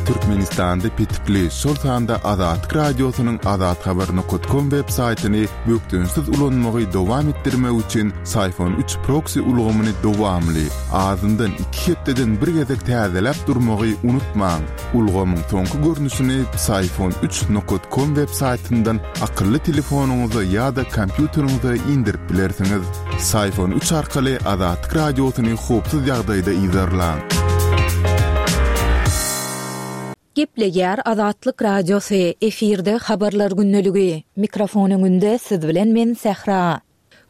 Türkmenistanda petikli, şol sanda Azatlyk Radiosynyň azathabar nokat kom web saýtyny bökdençsiz ulanmagy dowam etdirmek üçin Syfon üç proksi ulgamyny dowamly, azyndan iki hepdeden bir gezek täzeläp durmagy unutmaň. Ulgamyň soňky görnüşini Psiphon üç nokat kom web saýtyndan akylly telefonyňyza ýa-da kompýuteriňize indirip bilersiňiz. Psiphon üç arkaly Azatlyk Radiosyny howpsuz ýagdaýda yzarlaň. Gepleýär Azatlyk Radiosy, efirde Habarlar gündeligi. Mikrofon öňünde siz bilen men Sähra.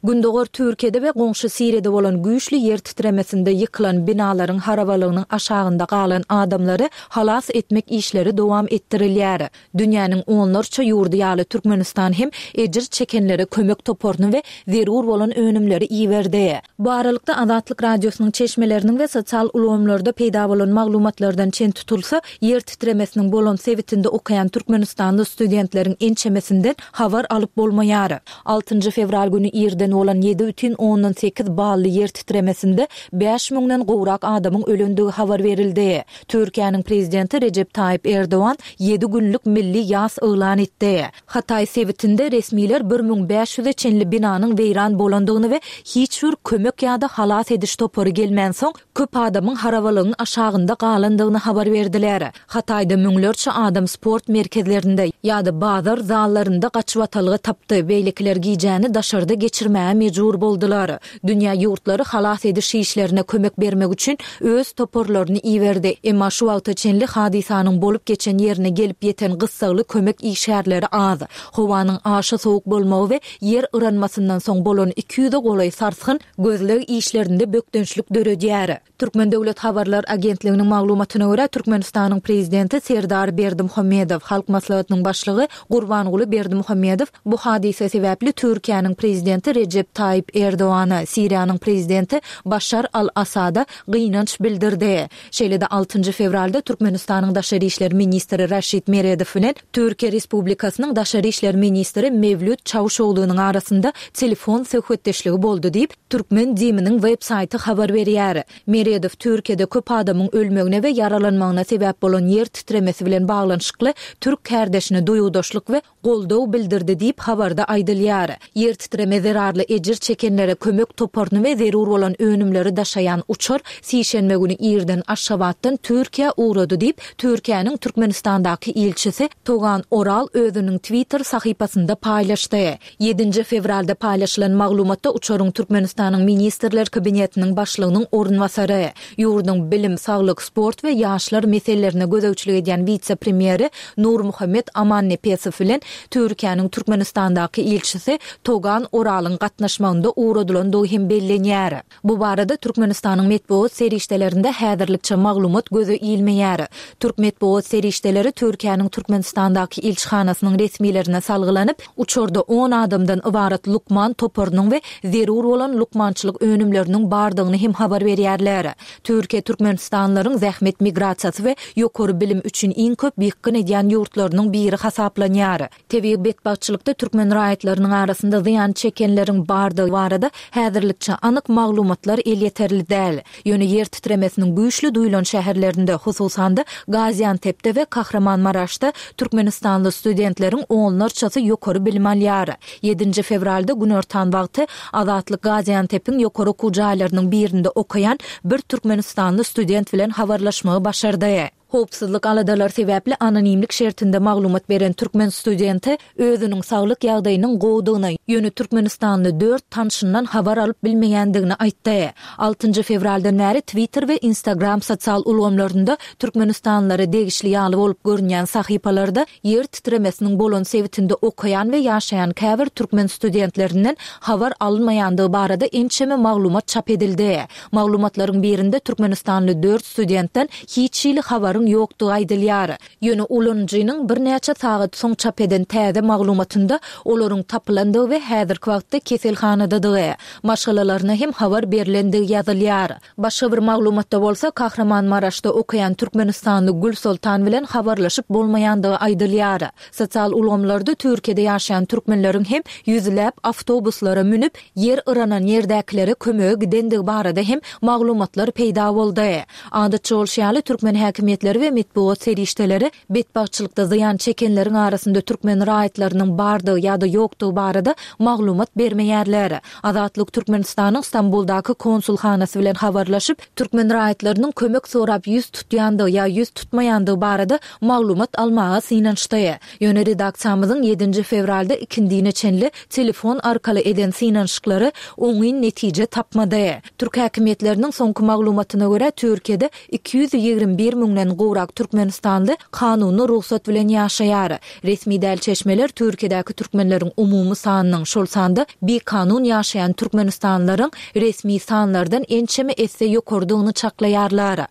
Gündogar Türkiýede we goňşy Siriýada bolan güýçli ýer titremesinde ýykylan binalaryň harabalygynyň aşagynda galan adamlary halas etmek işleri dowam etdirilýär. Dünýäniň onlarça ýurdy ýaly Türkmenistan hem ejir çekenlere kömek toparyny we zerur bolan önümleri iberdi. Bu aralykda, Azatlyk Radiosynyň çeşmeleriniň we sosial ulgamlarda peýda bolan maglumatlardan çen tutulsa, ýer titremesiniň bolan sebitinde okaýan türkmenistanly studentleriň ençemesinden habar alyp bolmaýar. Altynjy fewral güni irden bolan 7,8 bally ýer titremesinde bäş müňden gowrak adamyň ölendigi habar berildi. Türkiýäniň Prezidenti Rejep Taýyp Erdogan ýedi günlük milli ýas yglan etdi. Hataý sebitinde resmiler 1500-e çenli binanyň weýran bolandygyny we hiç bir kömek ýa-da halas ediş topary gelmänsoň, köp adamyň harabalygyň aşagynda galandygyny habar berdiler. Hataýda müňlerçe adam sport merkezlerinde ýa-da bazar zallarynda gaçybatalga tapdy, beýlekiler gijäni daşarda geçirmäge mejbur boldular. Dünýä ýurtlary halas ediş işlerine kömek bermek üçin öz toparlaryny iberdi, emma şu wagta çenli hadysanyň bolup geçen ýerine gelip ýeten gyssagly kömek işgärleri az. Howanyň aşa sowuk bolmagy we ýer yranmasyndan soň bolan 200-e golaý sarsgyn gözleg işlerinde bökdençlik döredýär. Türkmen döwlet habarlar agentliginiň maglumatyna görä, Türkmenistanyň Prezidenti Serdar Berdimuhamedow, Halk Maslahatynyň Başlygy Gurbanguly Berdimuhamedow bu hadysa sebäpli Türkiýäniň Prezidenti Rejep Taýyp Erdogana, Siriýanyň Prezidenti Başar al-Asada gynanç bildirdi. Şeýle-de altynjy fewralda Türkmenistanyň daşary işler ministri Raşid Meredow bilen Türkiýe Respublikasynyň daşary işler ministri Mewlüt Çawuşoglunyň arasynda telefon söhbetdeşligi boldy diýip, Türkmen DIM-niň web saýty habar berýär. Meredow Türkiýede köp adamyň ölmegine we ýaralanmagyna sebäp bolan ýer titremesi bilen baglanyşykly türk kärdeşine duýgudaşlyk we goldaw bildirdi diýip, habarda aýdylýar. Ýer titreme zerarly ejir çekenlere kömek toparyny we zerur bolan önümleri daşaýan uçar sişenbe güni irden Aşgabatdan Türkiýä ugrady diýip, Türkiýäniň Türkmenistandaky ilçisi Togan Oral özüniň Twitter sahypasynda paýlaşdy. Ýedinji fewralda paýlaşylan maglumatda uçaryň Türkmenistanyň Ministrler Kabinetiniň Başlygynyň orunbasary, ýurduň bilim, saglyk, sport we ýaşlar meselelerine gözegçilik edýän wise-premýeri Nurmuhammet Amannepesow bilen Türkiýäniň Türkmenistandaky ilçisi Togan Oralyň gatnaşmagynda ugradylandygy hem bellenýär. Bu barada Türkmenistanyň metbugat serişdelerinde häzirlikçe maglumat göze ilmeýär. Türk metbugat serişdeleri Türkiýäniň Türkmenistandaky ilçihanasynyň resmilerine salgylanyp, uçarda on adamdan ybarat lukman toparynyň we zerur bolan lukmançylyk önümleriniň bardygyny hem habar berýärler. Türkiýe türkmenistanlylaryň zähmet migrasiýasy we ýokary bilim üçin iň köp ýykgyn edýän ýurtlarynyň biri hasaplanýar. Tebigy betbagtçylykda türkmen raýatlarynyň arasynda zyýan çekenleriň bardygy barada häzirlikçe anyk maglumatlar elýeterli däl. Ýöne ýer titremesiniň güýçli duýlan şäherlerinde, hususan-da, Gaziantepde we Kahramanmaraşda türkmenistanly studentleriň onlarçasy ýokary bilim alýar. Ýedinji fewralda günortan wagty Azatlyk Gaziantepiň ýokary okuw jaýlarynyň birinde okaýan bir türkmenistanly student bilen habarlaşmagy başardy. Howpsuzlyk aladalary sebäpli anonimlik şertinde maglumat beren türkmen studenti özüniň saglyk ýagdaýynyň gowudygyny, ýöne türkmenistanly dört tanşyndan habar alyp bilmeýändigini aýtdy. Altynjy fewraldan bäri Twitter we Instagram sosial ulgamlarynda türkmenistanlylara degişli ýaly bolup görünýän sahypalarda ýer titremesiniň bolan sebitinde okaýan we ýaşaýan käbir türkmen studentlerinden habar alynmaýandygy barada ençeme maglumat çap edildi. Maglumatlaryň birinde türkmenistanly dört studentden hiç hili habaryň ýokdugy aýdylýar. Ýöne ulanyjynyň birnäçe sagat soň çap eden täze maglumatynda olaryň tapylandygy we häzirki wagtda keselhanadadygy, maşgalalaryna hem habar berlendigi ýazylýar. Başga bir maglumatda bolsa, Kahramanmaraşda okaýan türkmenistanly Gülsoltan bilen habarlaşyp bolmaýandygy aýdylýar. Sosial ulgamlarda Türkiýede ýaşaýan türkmenleriň hem ýüzläp awtobuslara münüp, ýer yranan ýerdäkilere kömege gidendigi barada hem maglumatlar peýda boldy. Adatça bolşy ýaly, türkmen häkimiýetleri. häkimiýetleri we metbugat serişdeleri betbagtçylykda zyýan çekenleriň arasynda türkmen raýatlarynyň bardygy ýa-da ýokdugy barada maglumat bermeýärler. Azatlyk Türkmenistanyň Stambuldaky konsulhanasy bilen habarlaşyp, türkmen raýatlarynyň kömek sorap ýüz tutýandygy ýa ýüz tutmaýandygy barada maglumat almaga synanyşdy. Ýöne redaksiýamyzyň ýedinji fewralda ikindine çenli telefon arkaly eden synanyşyklary oňyn netije tapmady. Türk häkimiýetleriniň soňky maglumatyna görä, Türkiýede 221 müňden gowrak türkmenistanly kanuny rugsat bilen ýaşaýar. Resmi däl çeşmeler Türkiýedäki türkmenleriň umumy sanynyň, şol sanda bikanun ýaşaýan türkmenistanlylaryň resmi sanlardan ençeme esse ýokarydygyny çaklaýarlar.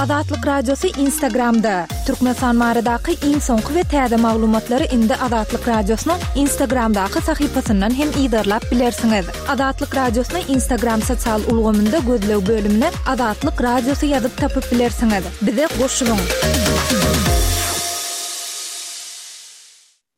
Azatlyk Radiosy Instagramda, Türkmenistan baradaky iň soňky we täze maglumatlary indi Azatlyk Radiosynyň Instagramdaky sahypasyndan hem yzarlap bilersiňiz. Azatlyk Radiosyny Instagram sosial ulgamynda gözleg bölümine Azatlyk Radiosy ýazyp tapyp bilersiňiz. Bize goşulyň!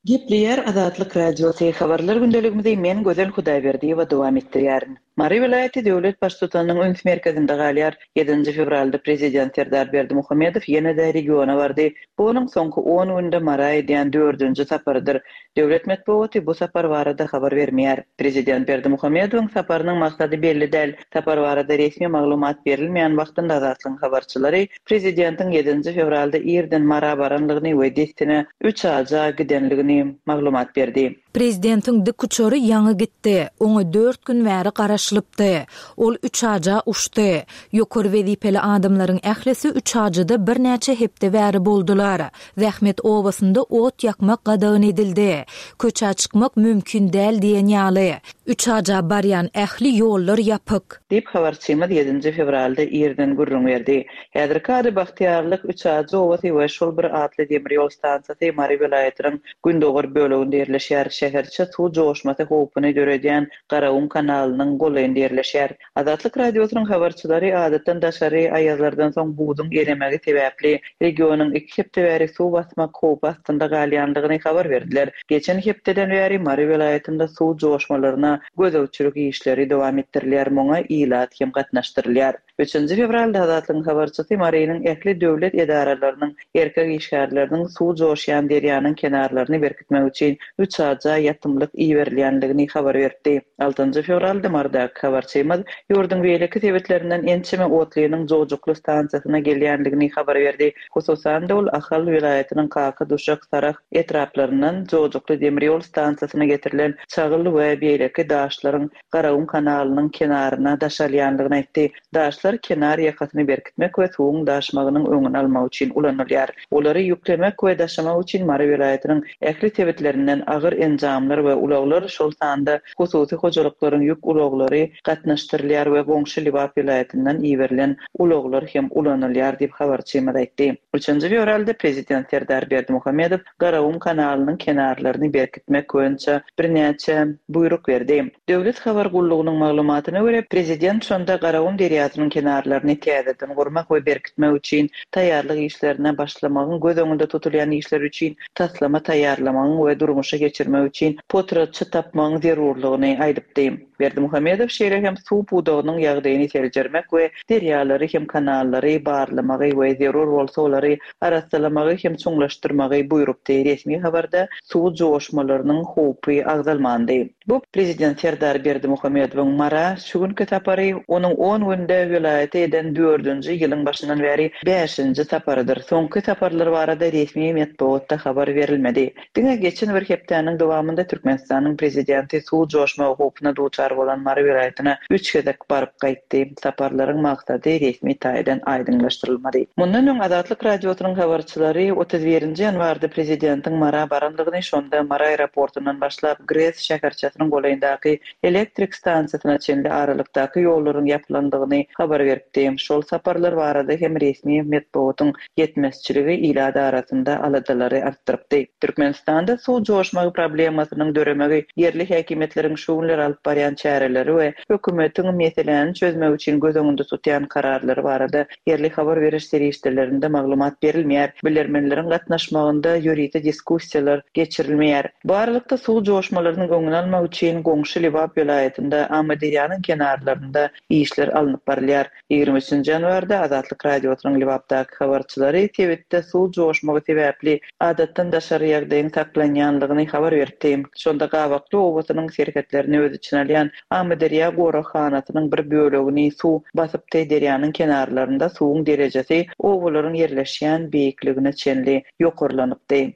Gepleýär Azatlyk Radiosy, Habarlar gündeligimizi men Gözel Hudaýberdiýewa dowam etdirýärin. Mary welaýaty döwlet Baştutanynyň üns merkezinde galýar. Ýedinji fewralda Prezident Serdar Berdimuhamedow ýene-de regiona bardy. Bu onuň soňky on günde Mara edýän dördünji saparydyr. Döwlet metbugaty bu sapar barada habar bermeýär. Prezident Berdimuhamedowyň saparynyň maksady belli däl. Sapar barada resmi maglumat berilmeýän wagtynda Azatlygyň habarçylary prezidentiň ýedinji fewralda irden Mara baranlygyny we dessine Üçaja gidenligini maglumat berdi. Prezidentiň dikuçary ýaňy gitdi. Oňa dört gün bäri garaşylypdy. Ol Üçaja uçdy. Ýokary wezipeli adamlaryň ählisi Üçajyda birnäçe hepde bäri boldular. Zähmet obasynda ot ýakmak gadagan edildi. Köçä çykmak mümkin däl diýen ýaly. Üçaja barýan ähli ýollar ýapyk. Diýip, habarçymyz ýedinji fewralda irden gürrüň berdi. Häzirki ady Bagtyýarlyk, Üçajy obasy we şol bir atly demir ýol stansiýasy Mary welaýatynyň gündogar böleginde ýerleşýär. Şäherçe suw joşmasy howpuny döredýän Garagum kanalynyň golaýynda ýerleşýär. Azatlyk Radiosynyň habarçylary adatdan daşary aýazlardan soň buzuň eremegi sebäpli regionyň iki hepde bäri suw basmak howpy astynda galýandygyny habar berdiler. Geçen hepdeden bäri Mary welaýatynda suw joşmalaryna gözegçilik işleri dowam etdirilýär, muňa ilat hem gatnaşdyrylýar. Üçünji fewralda Azatlygyň habarçysy Marynyň ähli döwlet edaralarynyň erkek işgärleriniň suw joşýan derýanyň kenarlaryny berkitmek üçin Üçaja ýatymlyk iberilýändigini habar beripdi. Altynjy fewralda Marydaky habarçymyz ýurduň beýleki sebitlerinden ençeme otlynyň Jowjukly stansiýasyna gelýändigini habar berdi. Hususan-da, ol Ahal welaýatynyň Kaka, Duşak, Sarahs etraplaryndan Jowjukly demir ýol stansiýasyna getirilen çagyl we beýleki daşlaryň Garagum kanalynyň kenaryna daşalýandygyny aýtdy. Daşlar kenar ýakasyny berkitmek we suwuň daşmagynyň öňüni almak üçin ulanylýar. Olary ýüklemek we daşamak üçin Mary welaýatynyň ähli sebitlerinden agyr enjamlar we ulaglar, şol sanda hususy hojalyklaryň ýük ulaglary gatnaşdyrylýar we goňşy Lebap welaýatyndan iberilen ulaglar hem ulanylýar diýip, habarçymyz aýtdy. Üçünji fewralda prezident Serdar Berdimuhamedow Garagum kanalynyň kenarlaryny berkitmek boýunça birnäçe buýruk berdi. Döwlet habar gullugynyň maglumatyna görä, prezident şonda Garagum derýasynyň kenarlaryny täzeden gurmak we berkitmek üçin taýýarlyk işlerine başlamagyň, göz öňünde tutulýan işler üçin taslama taýýarlamagyň we durmuşa geçirmek üçin potratçy tapmagyň zerurlygyny aýdypdy. Berdimuhamedow şeýle hem suw pudagynyň ýagdaýyny seljermek we derýalary hem kanallary barlamagy we zerur bolsa olary arassalamagy hem çuňlaşdyrmagy buýrupdy. Resmi habarda suw joşmalarynyň howpy agzalmandy. Bu prezident Serdar Berdimuhamedowyň Mara şu günki sapary onuň on günde welaýata eden dördünji, ýylyň başyndan bäri bäşinji saparydyr. Soňky saparlar barada resmi metbugatda habar berilmedi. Diňe geçen bir hepdäniň dowamynda Türkmenistanyň prezidenti suw joşmagy howpuna duçar bolan Mary welaýatyna üç gezek baryp gaýtdy. Saparlaryň maksady resmi taýdan aýdyňlaşdyrylmady. Mundan öň Azatlyk Radiosynyň habarçylary 31 nji ýanwarda prezidentiň Mara barandygyny, şonda Mary aeroportundan başlap GRES şäherçesiniň golaýyndaky elektrik stansiýasyna çenli aralykdaky ýollaryň ýapylandygyny habar beripdi. Şol saparlar barada hem resmi metbugatyň ýetmezçiligi ilat arasynda aladalary artdyrypdy. Türkmenistanda suw joşmagy problemasynyň döremegi ýerli häkimiýetleriň şu günler alyp barýan çäreleri we hökümetiň meseläni çözmek üçin göz öňünde tutýan kararlary barada ýerli habar beriş serişdelerinde maglumat berilmeýär, bilermenleriň gatnaşmagynda ýörite diskussiýalar geçirilmeýär. Bu aralykda suw joşmalarynyň öňüni almak üçin goňşy Lebap welaýatynda Amyderýanyň kenarlarynda işler alnyp barylýar. aýdylýar. 23-nji ýanwarda Azatlyk Radiosynyň Lebapdaky habarçylary sebitde suw joşmagy sebäpli adatdan daşary ýagdaýyň saklanýanlygyny habar beripdi. Şonda Gabakly obasynyň serhetlerini öz içine alýan Amyderýa goraghanasynyň bir bölegini suw basypdy, derýanyň kenarlarynda suwuň derejesi obalaryň ýerleşýän beýikligine çenli ýokarlanypdy.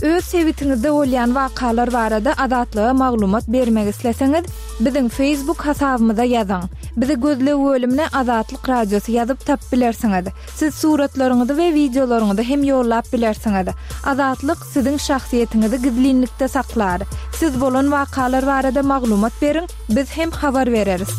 Öz sebitiňizde bolýan wakalar barada Azatlyga maglumat bermek isleseňiz, biziň Facebook hasabymyza ýazyň. Bizi gözleg bölümine Azatlyk Radiosy ýazyp tapyp bilersiňiz. Siz suratlaryňyzy we wideolaryňyzy hem ýollap bilersiňiz. Azatlyk siziň şahsyýetiňizi gizlinlikde saklar. Siz bolan wakalar barada maglumat beriň, biz hem habar bereris.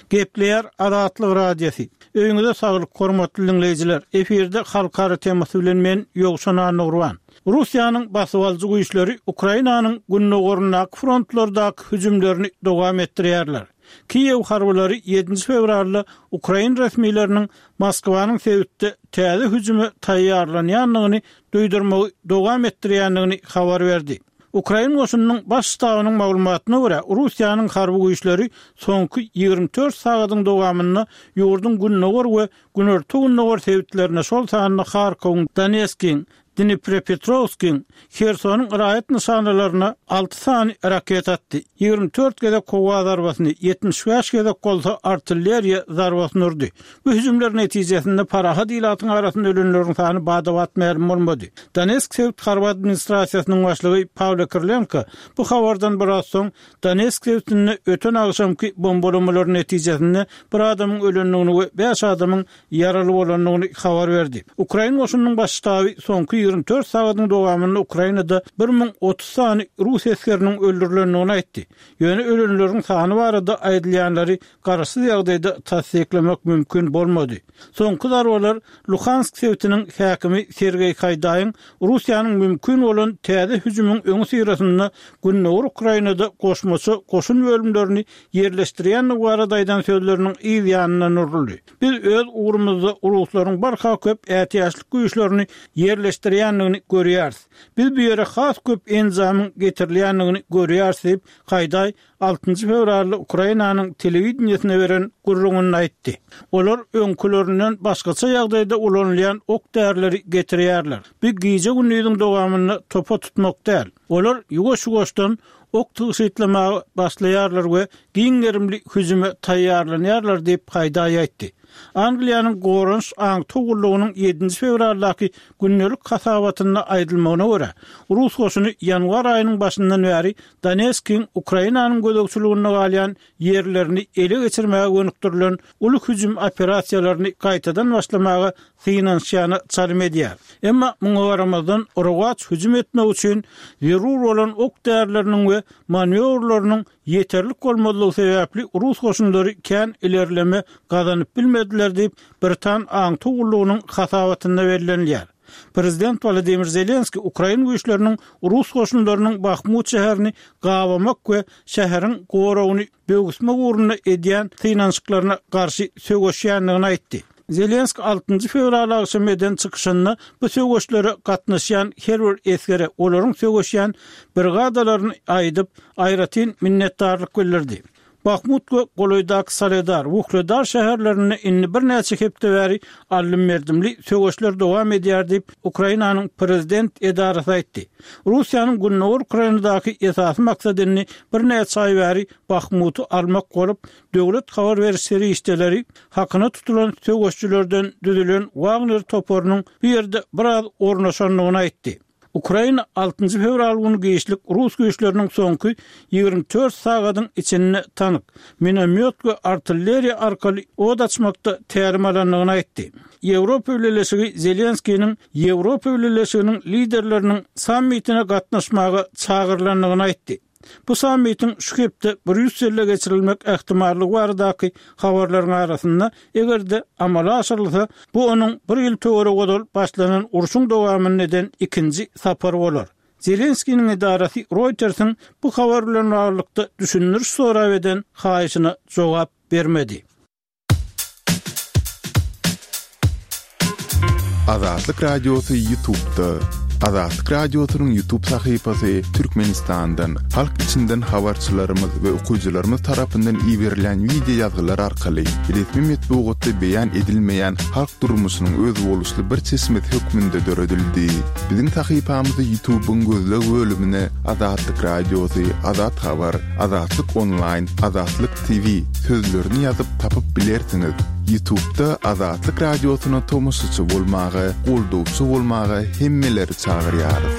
Gepleýär Azatlyk Radiosy. Öýüňize saglyk hormatly diňleýjiler. Efirde Halkara temasy bilen men Ýowşan Annagurban. Russiýanyň basybalyjy güýçleri Ukrainanyň gündogaryndaky frontlardaky hüjümlerini dowam etdirýärler. Kiýew harbylary ýedinji fewralda ukrain resmileriniň Moskwanyň sebitde täze hüjüme taýýarlanýandygyny duýdurmagy dowam etdirýändigini habar berdi. Ukrain goşunynyň Baş ştabynyň maglumatyna görä, Russiýanyň harby güýçleri soňky 24 sagadyň dowamynda ýurduň gündogar we günorta-gündogar sebitlerine, şol sanda Harkowyň, Doneskiň, Dniprepetrowskiň, Hersonyň raýat nyşanalaryna alty sany raketa atdy, 24 gezek howa zarbasyny, 75 gezek bolsa artilleriýa zarbasyny urdy. Bu hüjümler netijesinde parahat ilatyň arasynda ölenleriň sany bada-bat mälim bolmady. Donetsk sebit harby administrasiýasynyň başlygy Pawlo Kirilenko bu habardan biraz soň Donetsk sebitinde öten agşamky bombalamalar netijesinde bir adamyň ölendigini we bäş adamyň ýaraly bolandygyny habar berdi. Ukrain goşunynyň baş ştaby soňky 24 sagadyň dowamynda Ukrainada 1030 sany rus esgeriniň öldürilendigini aýtdy. Ýöne ölenleriň sany barada aýdylýanlary garaşsyz ýagdaýda tassyklamak mümkin bolmady. Soňky zarbalar Luhansk sebitiniň häkimi Sergeý Haýdaýyň Russiýanyň mümkin bolan täze hüjümiň öňüsyrasynda gündogar Ukrainada goşmaça goşun bölümlerini ýerleşdirýändigi barada aýdan sözleriniň yz ýanyndan uruldy. Biz öz ugrumyzda ruslaryň barha köp ätiýaçlyk güýçlerini ýerleşdirýändigini görýäris. Biz bu ýere has köp enjamyň getirilýändigini görýäris diýip, Haýdaý altynjy fewralda Ukrainanyň telewideniýesine beren gürrüňinde aýtdy. Olar öňkülerinden başgaça ýagdaýda ulanylýan ok-därileri getirýärler. Bu gije-gündiziň dowamynda topa tutmak däl. Olar ýuwaş-ýuwaşdan ok tygşytlamaga başlaýarlar we giň gerimli hüjüme taýýarlanýarlar diýip, Haýdaý aýtdy. Angliýanyň Goranyş aňtaw gullugynyň ýedinji fewraldaky gündelik hasabatynda aýdylmagyna görä, rus goşuny ýanwar aýynyň başyndan bäri Donetskiň Ukrainanyň gözegçiliginde galýan ýerlerini ele geçirmäge gönükdirilen uly hüjüm operasiýalaryny gaýtadan başlamaga synanyşýana çalym edýär. Emma muňa garamazdan, rowaç hüjüm etmek üçin zerur bolan ok-därileriniň we manýowrlarynyň ýeterlik bolmazlygy sebäpli rus goşunlary kän ilerleme gazanyp bilmediler diýip, britan aňtaw gullugynyň hasabatynda bellenilýär. Prezident Wolodymyr Zelenskiý ukrain güýçleriniň rus goşunlarynyň Bahmut şäherini gabamak we şäheriň goragyny böwüsmek ugrunda edýän synanyşyklaryna garşy söweşýändigini aýtdy. Zelenskiý altynjy fewral agşamy eden çykyşynda bu söweşlere gatnaşýan her bir esgere olaryň söweşýän brigadalaryny aýdyp, aýratyn minnetdarlyk bildirdi. Bahmut we golaýdaky Soledar, Wuhledar şäherlerinde indi birnäçe hepde bäri aldym-berdimli söweşler dowam edýär diýip, Ukrainanyň prezident edarasy aýtdy. Russiýanyň gündogar Ukrainadaky esasy maksady indi birnäçe aý bäri Bahmuty almak bolup, döwlet habar beriş serişdeleri hakyna tutulan söweşçilerden düzülen Wagner toparynyň bu ýerde biraz ornaşandygyny aýtdy. Ukraina altynjy fewral güni giçlik rus güýçleriniň soňky 24 sagadyň içinde tank, minomýot we artilleriýa arkaly od açmakda tälim alandygyny aýtdy. Ýewropa Bileleşigi Zelenskiniň Ýewropa Bileleşiginiň liderleriniň sammitine gatnaşmaga çagyrylandygyny aýtdy. Bu sammitiň şu hepde Brýusselde geçirilmek ähtimallygy baradaky habarlaryň arasynda, eger-de amala aşyrylsa, bu onuň bir ýyl töweregi ozal başlanan urşuň dowamynda eden ikinji sapary bolar. Zelenskiniň edarasy Reutersiň bu habar bilen baglylykda düşündiriş sorap eden haýyşyna jogap bermedi. Azatlyk Radiosy YouTube'da. Azatlyk Radiosynyň YouTube sahypasy Türkmenistandan, halk içinden habarçylarymyz we okyjylarymyz tarapyndan iberilýän wideo ýazgylar arkaly resmi metbugatda beýan edilmeýän halk durmuşynyň özboluşly bir çeşmesi hökmünde döredildi. Biziň sahypamyzy YouTube-yň gözleg bölümine Azatlyk Radiosy, Azat Habar, Azatlyk Onlaýn, Azatlyk TV sözlerini ýazyp tapyp bilersiňiz. Ýutubda Azatlyk Radiosyna tomaşaçy bolmaga, goldawçy bolmaga hemmeleri çagyrýarys.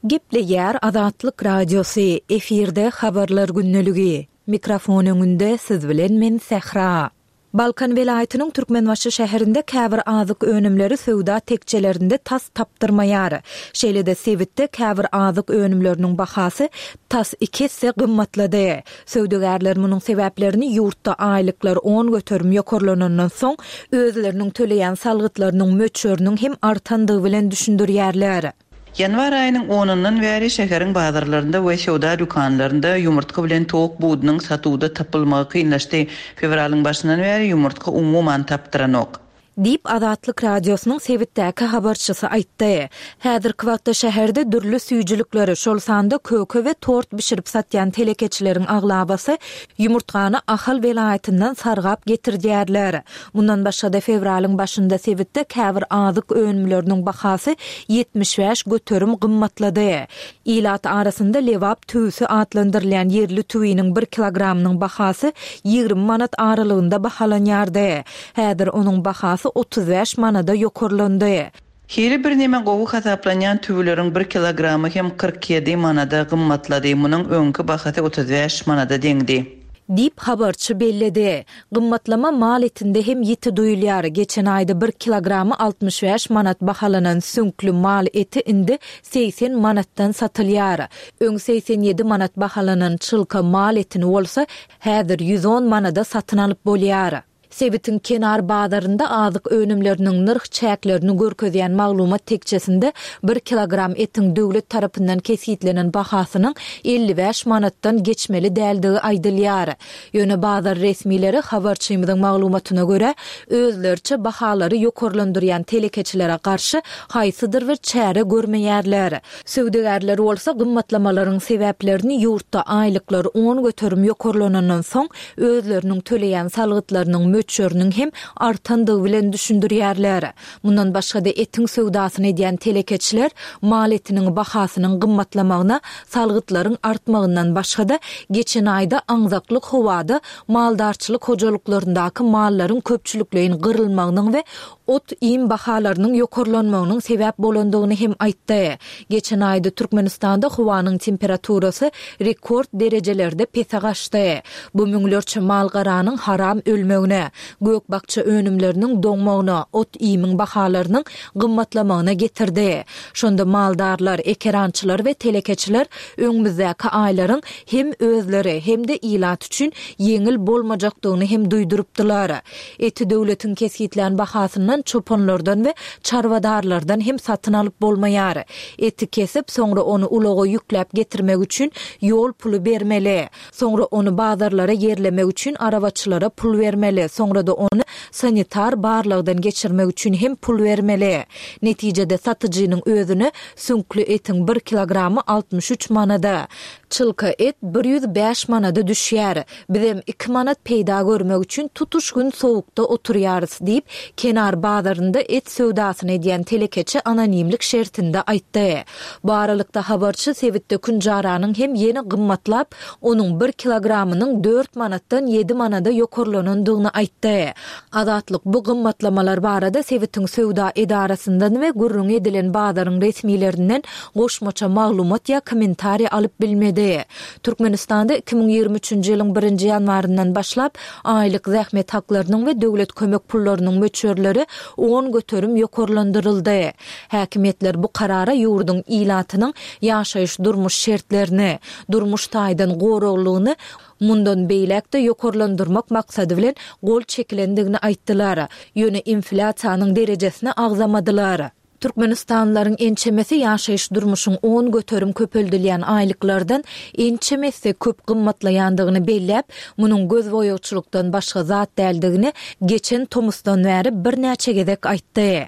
Gepleýär Azatlyk Radiosy, efirde Habarlar gündeligi. Mikrofon öňünde siz bilen men Sähra. Balkan welaýatynyň Türkmenbaşy şäherinde käbir azyk önümleri söwda tekjelerinde tas tapdyrmaýar. Şeýle-de sebitde käbir azyk önümleriniň bahasy tas iki esse gymmatlady. Söwdagärler munuň sebäplerini ýurtda aýlyklar 10% ýokarlanandan soň, özleriniň töleýän salgytlarynyň möçberiniň hem artandygy bilen düşündirýärler. Ýanwar aýynyň onundan bäri şäheriň bazarlarynda we söwda dükanlarynda ýumurtga bilen towuk budunyň satuwda tapylmagy kynlaşdy. Fewralyň başyndan bäri ýumurtga umuman tapdyranok. Diýip, Azatlyk Radiosynyň sebitdäki habarçysy aýtdy. Häzirki wagtda şäherde dürli süýjülikleri, şol sanda köke we tort bişirip satýan telekeçileriň aglabasy ýumurtgany Ahal welaýatyndan sargap getirdýärler. Mundan başga-da, fewralyň başynda sebitde käbir azyk önümleriniň bahasy 75% gymmatlady. Ilat arasynda Lebap tüwüsi atlandyrylýan ýerli tüwiniň bir kilogramynyň bahasy 20 manat aralygynda bahalanýardy. Häzir onuň bahasy 35 manada ýokarlandy. Hili birneme gowy hasaplanýan tüwüleriň bir kilogramy hem 47 manada gymmatlady, munuň öňki bahasy 35 manada deňdi. Diýip, habarçy belledi. Gymmatlama mal etinde hem ýiti duýulýar. Geçen aýda bir kilogramy 65 manat bahalanan süňkli mal eti indi 80 manatdan satylýar. Öň 87 manat bahalanan çylka mal etini bolsa häzir 110 manada satyn alyp bolýar. Sebitiň Kenar bazarynda azyk önümleriniň nyrh çäklerini görkezýän maglumat tekjesinde bir kilogram etiň döwlet tarapyndan kesgitlenen bahasynyň 55 manatdan geçmeli däldigi aýdylýar. Ýöne bazar resmileri, habarçymyzyň maglumatyna görä, özleriçe bahalary ýokarlandyrýan telekeçilere garşy haýsydyr bir çäre görmeýärler. Söwdagärler bolsa gymmatlamalaryň sebäplerini ýurtda aýlyklar 10% ýokarlanandan soň özleriniň töleýän salgytlarynyň möçberiniň hem artandygy bilen düşündirýärler. Mundan başga-da etiň söwdasyny edýän telekeçiler mal etiniň bahasynyň gymmatlamagyna salgytlaryň artmagyndan başga-da, geçen aýda aňzaklyk howada maldarçylyk hojalyklaryndaky mallaryň köpçülikleýin gyrylmagynyň we ot-iým bahalarynyň ýokarlanmagynyň sebäp bolandygyny hem aýtdy. Geçen aýda Türkmenistanda howanyň temperaturasy rekord derejelerde pese gaçdy. Bu müňlerçe mal-garanyň haram ölmegine, gök-bakja önümleriniň doňmagyna, ot-iýmiň bahalarynyň gymmatlamagyna getirdi. Şonda maldarlar, ekerançylar we telekeçiler öňümizdäki aýlaryň hem özleri, hem-de ilat üçin ýeňil bolmajakdygyny hem duýdurypdylar. Eti döwletiň kesgitlän bahasyndan çopanlardan we çarwadarlardan hem satyn alyp bolmaýar. Eti kesip, soňra ony ulaga ýükläp getirmek üçin ýol puly bermeli. Soňra ony bazarlara ýerlemek üçin arabaçylara pul bermeli, soňra-da ony sanitar barlagdan geçirmek üçin hem pul bermeli. Netijede satyjynyň özüne süňkli etiň bir kilogramy 63 manada, çylka et 105 manada düşýär. Bizem iki manat peýda görmek üçin tutuş gün sowukda oturýarys, diýip, Kenar bazarynda et söwdasyny edýän telekeçi anonimlik şertinde aýtdy. Bu aralykda, habarçy sebitde künjaranyň hem ýene gymmatlap, onuň bir kilogramynyň dört manatdan ýedi manada ýokarlanandygyny aýtdy. Azatlyk bu gymmatlamalar barada sebitiň söwda edarasyndan we gürrüňi edilen bazaryň resmilerinden goşmaça maglumat ýa kommentariý alyp bilmedi. Türkmenistanda 2023-nji ýylyň birinji ýanwaryndan başlap aýlyk zähmet haklarynyň we döwlet kömek pullarynyň möçberleri 10% ýokarlandyryldy. Häkimiýetler bu karara ýurduň ilatynyň ýaşaýyş-durmuş şertlerini, durmuş taýdan goraglylygyny mundan beýläk-de ýokarlandyrmak maksady bilen gol çekilendigini aýtdylar. Ýöne inflýasiýanyň derejesini agzamadylar. Türkmenistanlylaryň ençemesi ýaşaýyş-durmuşyň 10% köpeldilýän aýlyklardan ençeme esse köp gymmatlaýandygyny belläp, munuň gözboýagçylykdan başga zat däldigini geçen tomusdan bäri birnäçe gezek aýtdy.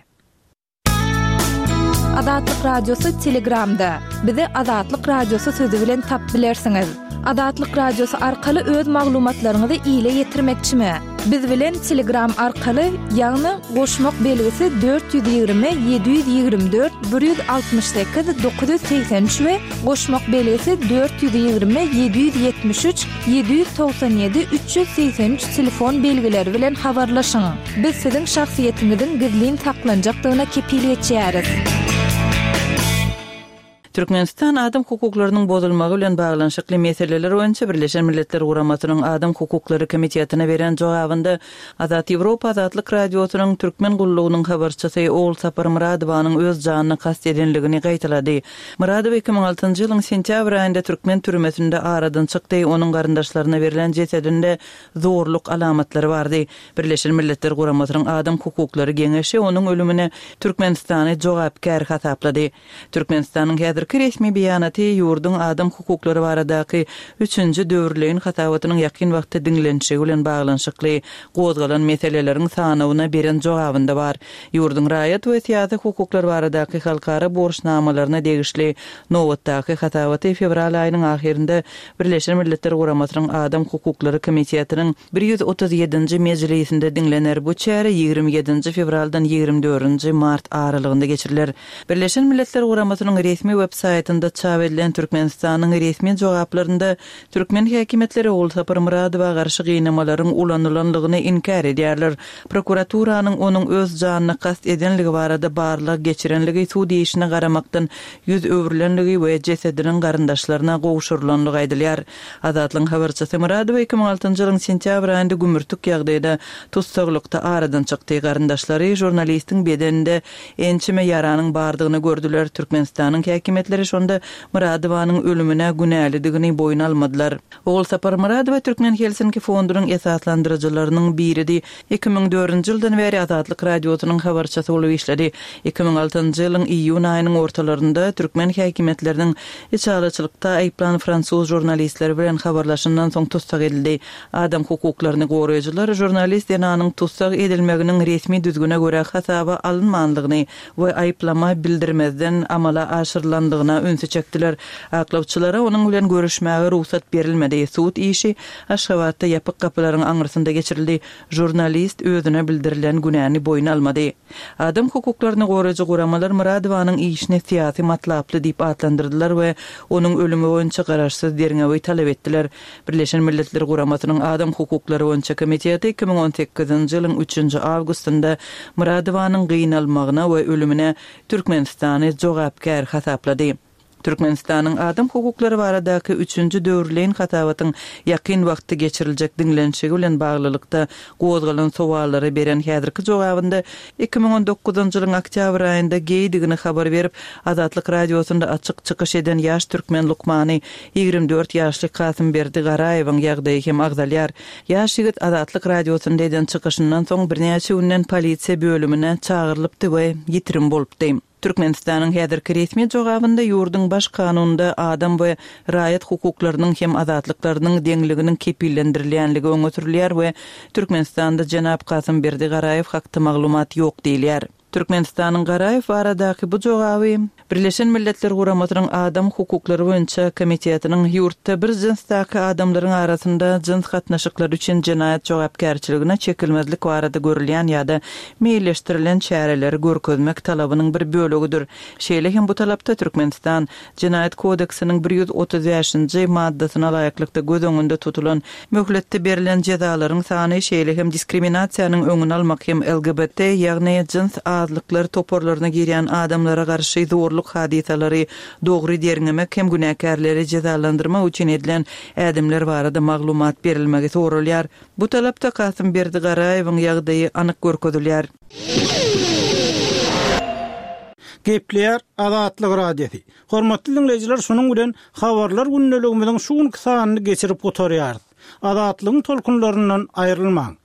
Azatlyk Radiosy Telegramda. Bizi Azatlyk Radiosy sözi bilen tap bilersiňiz. Azatlyk Radiosy arkaly öz maglumatlaryňyzy ile ýetirmekçimi? Biz bilen Telegram arkaly, ýagny goşmak belgisi 420 724 168 983 we goşmak belgisi 420 773 797 383 telefon belgileri bilen habarlaşyň. Biz siziň şahsyýetiňiziň gizlin saklanjakdygyna kepil geçýäris. Türkmenistan adam hukuklarynyň bozulmagy bilen baglanyşykly meseleler boýunça Birleşen Milletler Guramasynyň Adam hukuklary komitetine beren jogabynda Azat Ýewropa Azatlyk Radiosynyň Türkmen gullugynyň habarçysy Ogulsapar Myradowanyň öz janyna kast edenligini gaýtalady. Myradowa 2006-njy ýylyň sentýabr aýynda türkmen türmesinde aradan çykdy, onuň garyndaşlaryna berlen jesedinde zorluk alamatlary bardy. Birleşen Milletler Guramasynyň Adam hukuklary geňeşi onuň ölümine Türkmenistany jogapkär hasaplady. Türkmenistanyň häzirki resmi beýanaty ýurduň adam hukuklary baradaky üçünji döwürleýin hasabatynyň ýakyn wagtda diňlenişigi bilen baglanyşykly gozgalan meseleleriň sanawyna beren jogabynda bar. Ýurduň raýat we syýasy hukuklar baradaky halkara borçnamalaryna degişli nobatdaky hasabaty fewral aýynyň ahyrynda Birleşen Milletler Guramasynyň Adam hukuklary komitetiniň 137-nji mejlisinde diňlener. Bu çäre 27-nji fewraldan 24-nji mart aralygynda geçiriler. Birleşen Milletler Guramasynyň resmi web saýtynda çap edilen Türkmenistanyň resmi jogaplarynda türkmen häkimiýetleri Ogulsapar Myradowa garşy gynamalaryň ulanylanlygyny inkär edýärler. Prokuraturanyň onuň öz janyna kast edenligi barada barlag geçirenligi sud işine garamakdan ýüz öwrülenligi we jesediniň garyndaşlaryna gowşurylanlygy aýdylýar. Azatlygyň habarçysy Myradowa 2006-njy ýylyň sentýabr aýynda gümürtik ýagdaýda tussaglykda aradan çykdy. Garyndaşlary žurnalistiň bedeninde ençeme ýaranyň bardygyny gördüler. Türkmenistanyň häkimiýetleri şonda Myradowanyň ölümine günälidigini boýun almadylar. Ogulsapar Myradowa Türkmen Helsinki fondunyň esaslandyryjylarynyň biridi. 2004-nji ýyldan bäri Azatlyk Radiosynyň habarçysy bolup işledi. 2006-njy ýylyň iýun aýynyň ortalarynda türkmen häkimiýetleriniň içalyçylykda aýyplan fransuz žurnalistleri bilen habarlaşandan soň tussag edildi. Adam hukuklaryny goraýjylar žurnalist zenanyň tussag edilmeginiň resmi düzgüne görä hasaba alynmanlygyny we aýyplama bildirmezden amala aşyrylandygyna ünsi çekdiler. Aklawçylara onuň bilen görüşmäge rugsat berilmedi. Sud işi Aşgabatda ýapyk gapylaryň aňyrsynda geçirildi. Žurnalist özüne bildirilen günäni boýun almady. Adam hukuklaryny goraýjy guramalar Myradowanyň işini syýasy matlaply diýip atlandyrdylar we onuň ölümi boýunça garaşsyz derňewi talap etdiler. Birleşen Milletler Guramasynyň Adam hukuklary boýunça komiteti 2018-nji ýylyň üçünji awgustynda Myradowanyň gynalmagyna we ölümine Türkmenistany jogapkär hasaplady. Türkmenistanyň adam hukuklary baradaky üçünji döwürleýin hasabatyň ýakyn wagtda geçiriljek diňlenişigi bilen baglylykda gozgalan sowallara beren häzirki jogabynda 2019-njy ýylyň oktýabr aýynda geýdigini habar berip, Azatlyk Radiosynda açyk çykyş eden ýaş türkmen lukmany, 24 ýaşly Kasymberdi Garaýewiň ýagdaýy hem agzalýar. Ýaş ýigit Azatlyk Radiosynda eden çykyşyndan soň birnäçe günden polisiýa bölümine çagyrylypdy we ýitirim bolupdy. Türkmenistanyň häzirki resmi jogabynda ýurduň Baş kanunynda adam we raýat hukuklarynyň hem azatlyklarynyň deňliginiň kepillendirilýänligi öňe sürülýär we Türkmenistanda jenap Kasymberdi Garaýew hakda maglumat ýok diýilýär. Türkmenistanyň Garaýew baradaky bu jogaby Birleşen Milletler Guramasynyň Adam hukuklary boýunça komitetiniň ýurtda bir jynsdaky adamlaryň arasynda jyns gatnaşyklary üçin jenaýat jogapkärçiligine çekilmezlik barada görülýän ýa-da meýilleşdirilen çäreleri görkezmek talabynyň bir bölegidir. Şeýle hem bu talapda Türkmenistan Jenaýat kodeksiniň 135-nji maddasyna laýyklykda göz öňünde tutulan möhletde berlen jezalaryň sany, şeýle hem diskriminasiýanyň öňüni almak hem LGBT, ýagny jyns azlyklar toparlaryna girýän adamlara garşy zorluk hadysalary dogry derňemek hem günäkärleri jezalandyrmak üçin edilen ädimler barada maglumat berilmegi soralýar. Bu talapda Kasymberdi Garaýewiň ýagdaýy anyk görkezilýär. Gepleýär Azatlyk Radiosy. Hormatly diňleýjiler şunuň bilen Habarlar gündeligimiziň şu günki sanyny geçirip gutarýarys. Azatlygyň tolkunlaryndan aýrylmaň.